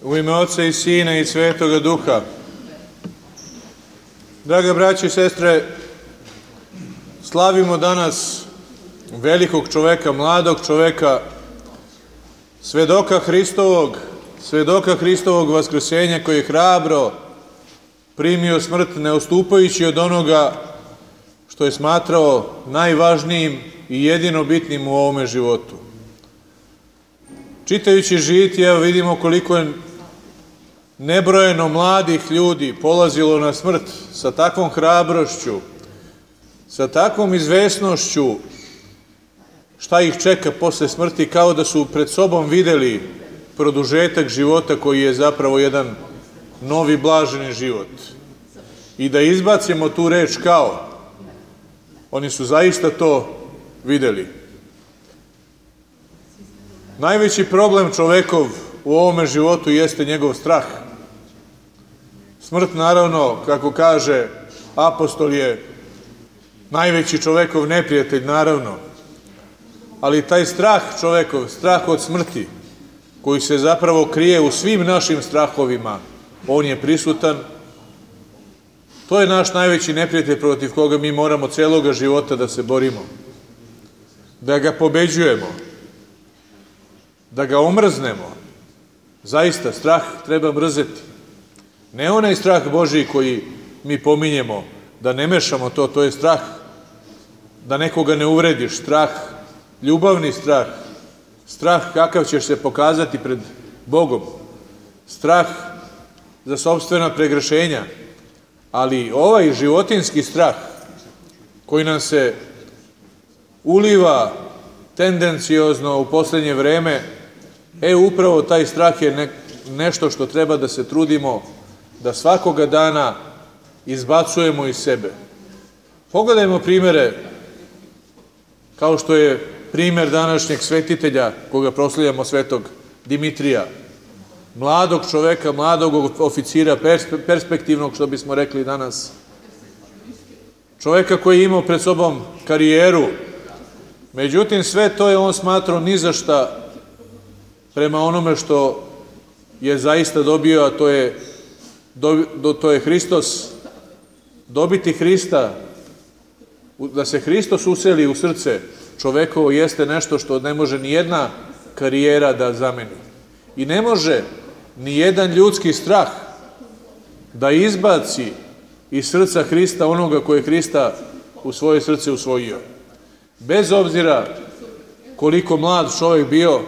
U ime Oca i Sina i Svetoga Duha. Draga braće i sestre, slavimo danas velikog čoveka, mladog čoveka, svedoka Hristovog vaskrsenja, koji je hrabro primio smrt, ne odstupajući od onoga što je smatrao najvažnijim i jedino bitnim u ovome životu. Čitajući žitije, vidimo koliko je nebrojeno mladih ljudi polazilo na smrt sa takvom hrabrošću, sa takvom izvesnošću šta ih čeka posle smrti, kao da su pred sobom videli produžetak života koji je zapravo jedan novi blaženi život. I da izbacimo tu reč kao, oni su zaista to videli. Najveći problem čovekov u ovome životu jeste njegov strah. Smrt, naravno, kako kaže apostol, je najveći čovekov neprijatelj, naravno. Ali taj strah čovekov, strah od smrti, koji se zapravo krije u svim našim strahovima, on je prisutan. To je naš najveći neprijatelj protiv koga mi moramo celoga života da se borimo. Da ga pobeđujemo. Da ga omrznemo. Zaista, strah treba mrzeti. Ne onaj strah Božiji koji mi pominjemo, da ne mešamo to, to je strah da nekoga ne uvrediš, strah, ljubavni strah, strah kakav ćeš se pokazati pred Bogom, strah za sopstvena pregrešenja, ali ovaj životinski strah koji nam se uliva tendenciozno u poslednje vreme, upravo taj strah je nešto što treba da se trudimo da svakoga dana izbacujemo iz sebe. Pogledajmo primere, kao što je primer današnjeg svetitelja, koga proslavljamo, svetog Dimitrija, mladog čoveka, mladog oficira, perspektivnog, što bismo rekli danas, čoveka koji je imao pred sobom karijeru, međutim sve to je on smatrao ni za šta prema onome što je zaista dobio, a to je Hristos. Dobiti Hrista, da se Hristos useli u srce čovekovo, jeste nešto što ne može ni jedna karijera da zameni. I ne može ni jedan ljudski strah da izbaci iz srca Hrista onoga koje je Hrista u svoje srce usvojio. Bez obzira koliko mlad čovek bio,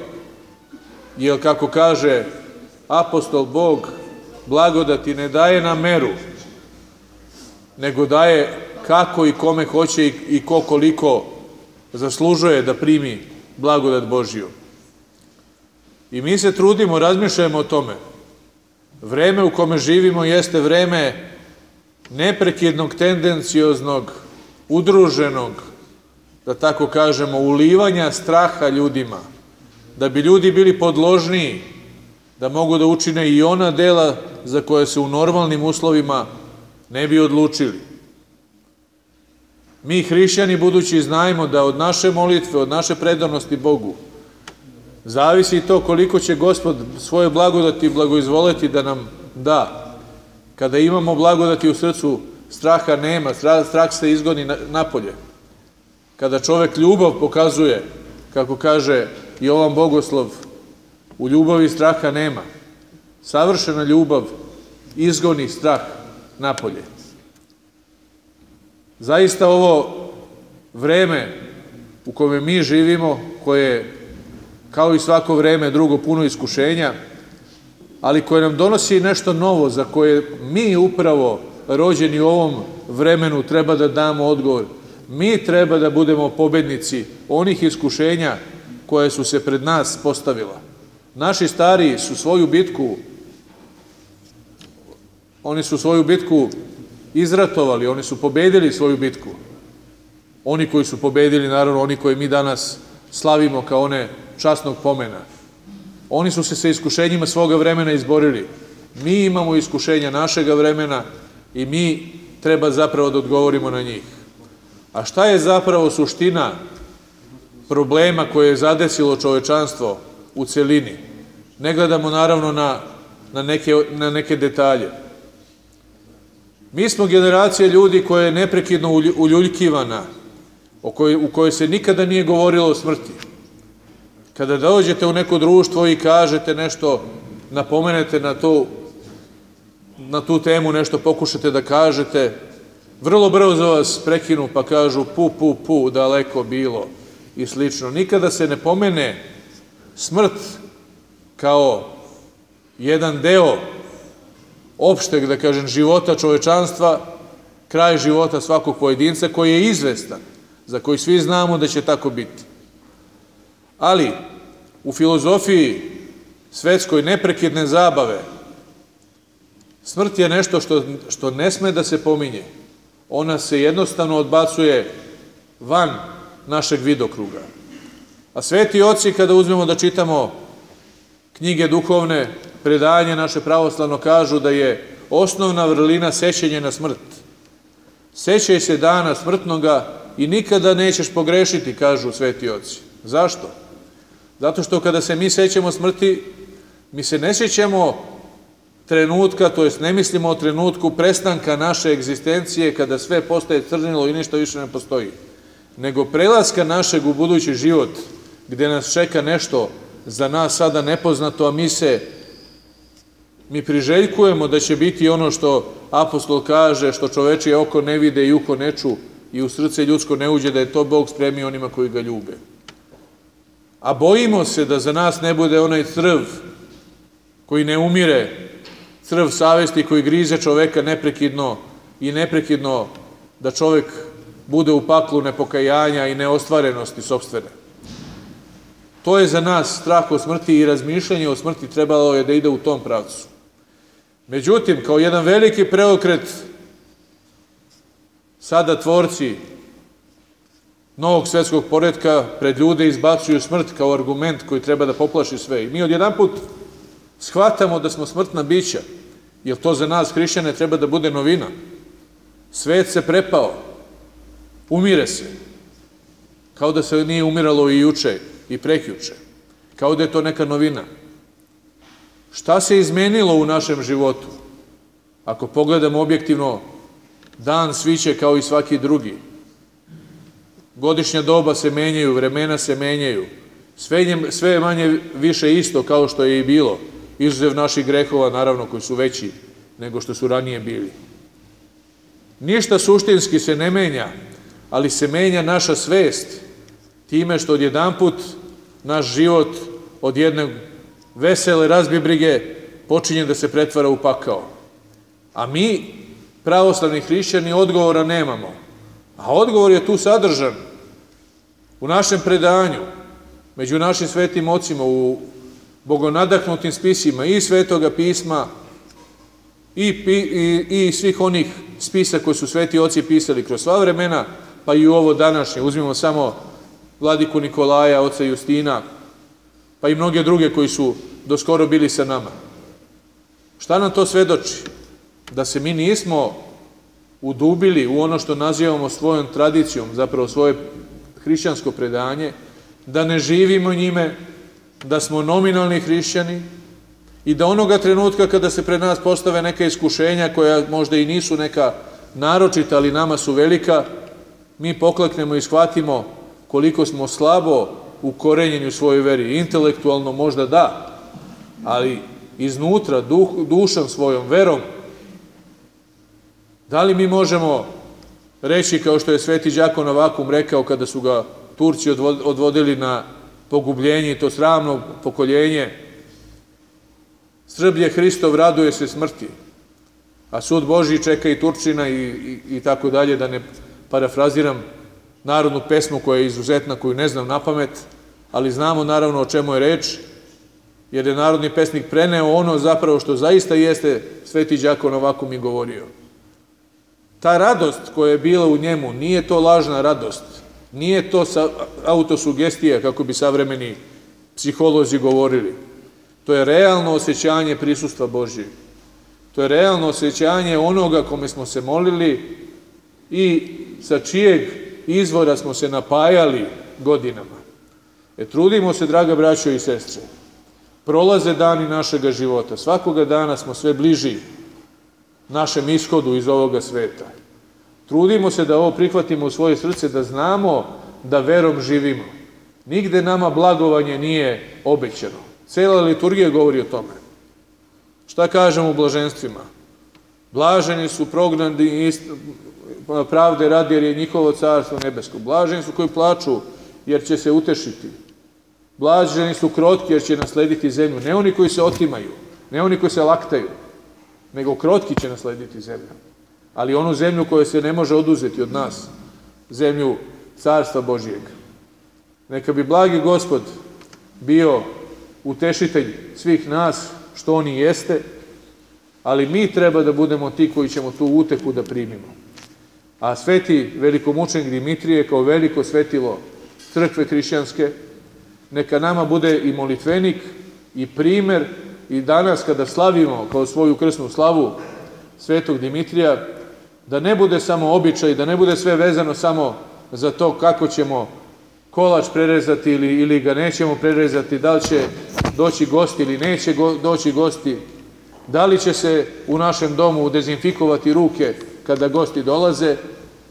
jer kako kaže apostol, Bog blagodati ne daje na meru, nego daje kako i kome hoće i ko koliko zaslužuje da primi blagodat Božiju. I mi se trudimo, razmišljamo o tome. Vreme u kome živimo jeste vreme neprekidnog, tendencioznog, udruženog, da tako kažemo, ulivanja straha ljudima, da bi ljudi bili podložniji, da mogu da učine i ona dela za koje se u normalnim uslovima ne bi odlučili. Mi, hrišćani, budući znajemo da od naše molitve, od naše predanosti Bogu, zavisi i to koliko će Gospod svoje blagodati blagoizvoleti da nam da. Kada imamo blagodati u srcu, straha nema, strah se izgoni napolje. Kada čovek ljubav pokazuje, kako kaže Jovan Bogoslov, u ljubavi straha nema. Savršena ljubav izgoni strah napolje. Zaista ovo vreme u kome mi živimo, koje je kao i svako vreme drugo puno iskušenja, ali koje nam donosi nešto novo, za koje mi upravo rođeni u ovom vremenu treba da damo odgovor. Mi treba da budemo pobednici onih iskušenja koje su se pred nas postavila. Naši stariji su svoju bitku izratovali, oni su pobedili svoju bitku. Oni koji su pobedili, naravno, oni koji mi danas slavimo kao one časnog pomena. Oni su se sa iskušenjima svoga vremena izborili. Mi imamo iskušenja našega vremena i mi treba zapravo da odgovorimo na njih. A šta je zapravo suština problema koje je zadesilo čovečanstvo u celini? Ne gledamo naravno na na neke detalje. Mi smo generacija ljudi koja je neprekidno uljuljkivana, u kojoj se nikada nije govorilo o smrti. Kada dođete u neko društvo i kažete nešto, napomenete na tu temu, nešto pokušate da kažete, vrlo brzo vas prekinu pa kažu pu, daleko bilo i slično. Nikada se ne pomene smrt kao jedan deo opšteg, da kažem, života čovečanstva, kraj života svakog pojedinca koji je izvestan, za koji svi znamo da će tako biti. Ali u filozofiji svetskoj neprekidne zabave smrt je nešto što ne sme da se pominje. Ona se jednostavno odbacuje van našeg vidokruga. A sveti oci, kada uzmemo da čitamo knjige duhovne, predanje naše pravoslavno, kažu da je osnovna vrlina sećanje na smrt. Sećaj se dana smrtnoga i nikada nećeš pogrešiti, kažu sveti oci. Zašto? Zato što kada se mi sećamo smrti, mi se ne sećamo trenutka, to jest ne mislimo o trenutku prestanka naše egzistencije kada sve postaje crnilo i ništa više ne postoji, nego prelaska našeg u budući život, gde nas čeka nešto za nas sada nepoznato, a mi priželjkujemo da će biti ono što apostol kaže, što čovečije oko ne vide i uho ne ču i u srce ljudsko ne uđe, da je to Bog spremio onima koji ga ljube. A bojimo se da za nas ne bude onaj crv koji ne umire, crv savesti koji grize čoveka neprekidno da čovek bude u paklu nepokajanja i neostvarenosti sopstvene. To je za nas strah o smrti i razmišljanje o smrti trebalo je da ide u tom pravcu. Međutim, kao jedan veliki preokret, sada tvorci novog svetskog poretka pred ljude izbacuju smrt kao argument koji treba da poplaši sve. I mi odjedanput shvatamo da smo smrtna bića, jer to za nas hrišćane treba da bude novina. Svet se prepao, umire se, kao da se nije umiralo i juče i prekjuče, kao da je to neka novina. Šta se izmenilo u našem životu? Ako pogledamo objektivno, dan sviće kao i svaki drugi. Godišnja doba se menjaju, vremena se menjaju. Sve je manje više isto kao što je i bilo, izuzev naših grehova, naravno, koji su veći nego što su ranije bili. Ništa suštinski se ne menja, ali se menja naša svest time što odjedanput naš život od jedne vesele razbibrige počinje da se pretvara u pakao. A mi, pravoslavni hrišćani, odgovora nemamo. A odgovor je tu sadržan u našem predanju, među našim svetim ocima, u bogonadahnutim spisima i Svetoga pisma i svih onih spisa koje su sveti oci pisali kroz sva vremena, pa i u ovo današnje. Uzmimo samo vladiku Nikolaja, oca Justina, pa i mnoge druge koji su doskoro bili sa nama. Šta nam to svedoči? Da se mi nismo udubili u ono što nazivamo svojom tradicijom, zapravo svoje hrišćansko predanje, da ne živimo njime, da smo nominalni hrišćani i da onoga trenutka kada se pred nas postave neka iskušenja koja možda i nisu neka naročita, ali nama su velika, mi pokleknemo i shvatimo koliko smo slabo ukorenjeni u svojoj veri. Intelektualno možda da, ali iznutra, dušom svojom, verom, da li mi možemo reći, kao što je sveti đakon Novakum rekao kada su ga Turci odvodili na pogubljenje i to sramno pokoljenje, Srblje Hristov raduje se smrti, a sud Božji čeka i Turčina i tako dalje, da ne parafraziram narodnu pesmu koja je izuzetna, koju ne znam na pamet, ali znamo naravno o čemu je reč, jer je narodni pesnik preneo ono zapravo što zaista jeste sveti đakon Novakum i govorio. Ta radost koja je bila u njemu, nije to lažna radost, nije to autosugestija, kako bi savremeni psiholozi govorili. To je realno osjećanje prisustva Božjeg. To je realno osjećanje onoga kome smo se molili i sa čijeg izvora smo se napajali godinama. Trudimo se, draga braćo i sestre, prolaze dani našega života. Svakoga dana smo sve bliži našem ishodu iz ovoga sveta. Trudimo se da ovo prihvatimo u svoje srce, da znamo da verom živimo. Nigde nama blagovanje nije obećano. Cela liturgija govori o tome. Šta kažemo u blaženstvima? Blaženi su prognani pravde radi, jer je njihovo carstvo nebesko. Blaženi su koji plaču, jer će se utešiti. Blaženi su krotki, jer će naslediti zemlju. Ne oni koji se otimaju, ne oni koji se laktaju, nego krotki će naslediti zemlju. Ali onu zemlju koja se ne može oduzeti od nas, zemlju carstva Božijeg. Neka bi blagi Gospod bio utešitelj svih nas, što on i jeste, ali mi treba da budemo ti koji ćemo tu utehu da primimo. A sveti velikomučenik Dimitrije, kao veliko svetilo crkve hrišćanske, neka nama bude i molitvenik i primer, i danas kada slavimo kao svoju krsnu slavu svetog Dimitrija, da ne bude samo običaj, da ne bude sve vezano samo za to kako ćemo kolač prerezati ili ga nećemo prerezati, da li će doći gosti ili neće doći gosti, da li će se u našem domu dezinfikovati ruke kada gosti dolaze,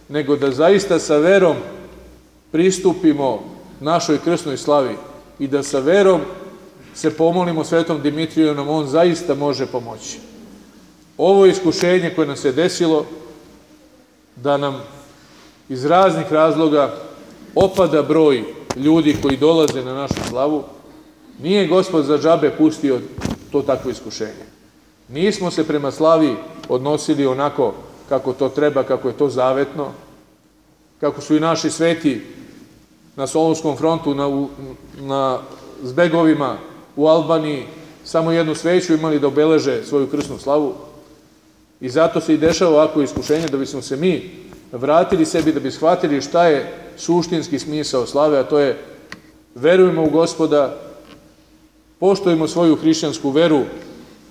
nego da zaista sa verom pristupimo našoj krsnoj slavi i da sa verom se pomolimo svetom Dimitriju, nam on zaista može pomoći. Ovo iskušenje koje nam se desilo, da nam iz raznih razloga opada broj ljudi koji dolaze na našu slavu, nije Gospod za džabe pustio to takvo iskušenje. Nismo se prema slavi odnosili onako kako to treba, kako je to zavetno, kako su i naši sveti na Solunskom frontu, na zbegovima u Albaniji, samo jednu sveću imali da obeleže svoju krsnu slavu. I zato se i dešava ovako iskušenje, da bismo se mi vratili sebi, da bi shvatili šta je suštinski smisao slave, a to je verujemo u Gospoda, poštujemo svoju hrišćansku veru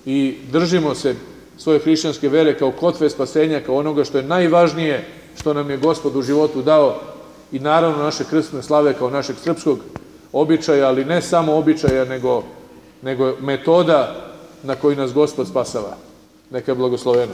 i držimo se svoje hrišćanske vere kao kotve spasenja, kao onoga što je najvažnije što nam je Gospod u životu dao, i naravno naše krsne slave kao našeg srpskog običaja, ali ne samo običaja, nego metoda na koju nas Gospod spasava. Neka je blagosloveno.